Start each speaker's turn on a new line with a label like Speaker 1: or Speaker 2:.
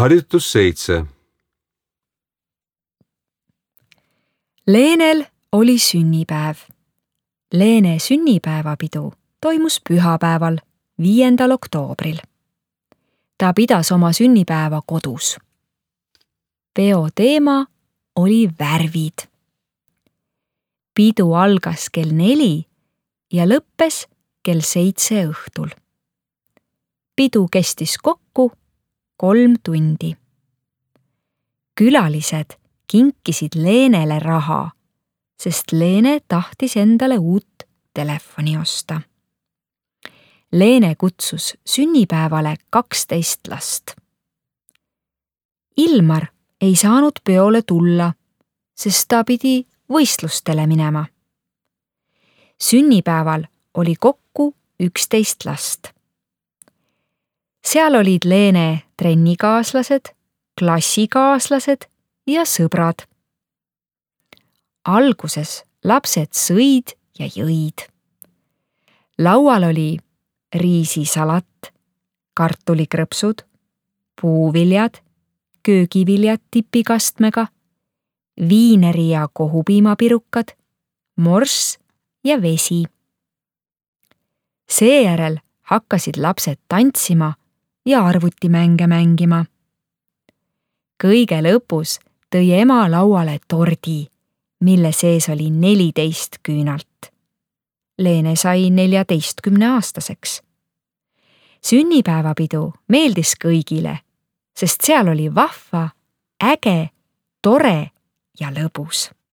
Speaker 1: Harjutus 7.
Speaker 2: Leenel oli sünnipäev. Leene sünnipäevapidu toimus pühapäeval, 5. oktoobril. Ta pidas oma sünnipäeva kodus. Peo teema oli värvid. Pidu algas kell 4 ja lõppes kell 7 õhtul. Pidu kestis kokku 3 tundi. Külalised kinkisid Leenele raha, sest Leene tahtis endale uut telefoni osta. Leene kutsus sünnipäevale 12 last. Ilmar ei saanud peole tulla, sest ta pidi võistlustele minema. Sünnipäeval oli kokku 11 last. Seal olid Leene trennikaaslased, klassikaaslased ja sõbrad. Alguses lapsed sõid ja jõid. Laual oli riisisalat, kartulikrõpsud, puuviljad, köögiviljad tipikastmega, viineri ja kohupiimapirukad, morss ja vesi. Seejärel hakkasid lapsed tantsima ja arvutimänge mängima. Kõige lõpus tõi ema lauale tordi, mille sees oli 14 küünalt. Leene sai 14-aastaseks. Sünnipäevapidu meeldis kõigile, sest seal oli vahva, äge, tore ja lõbus.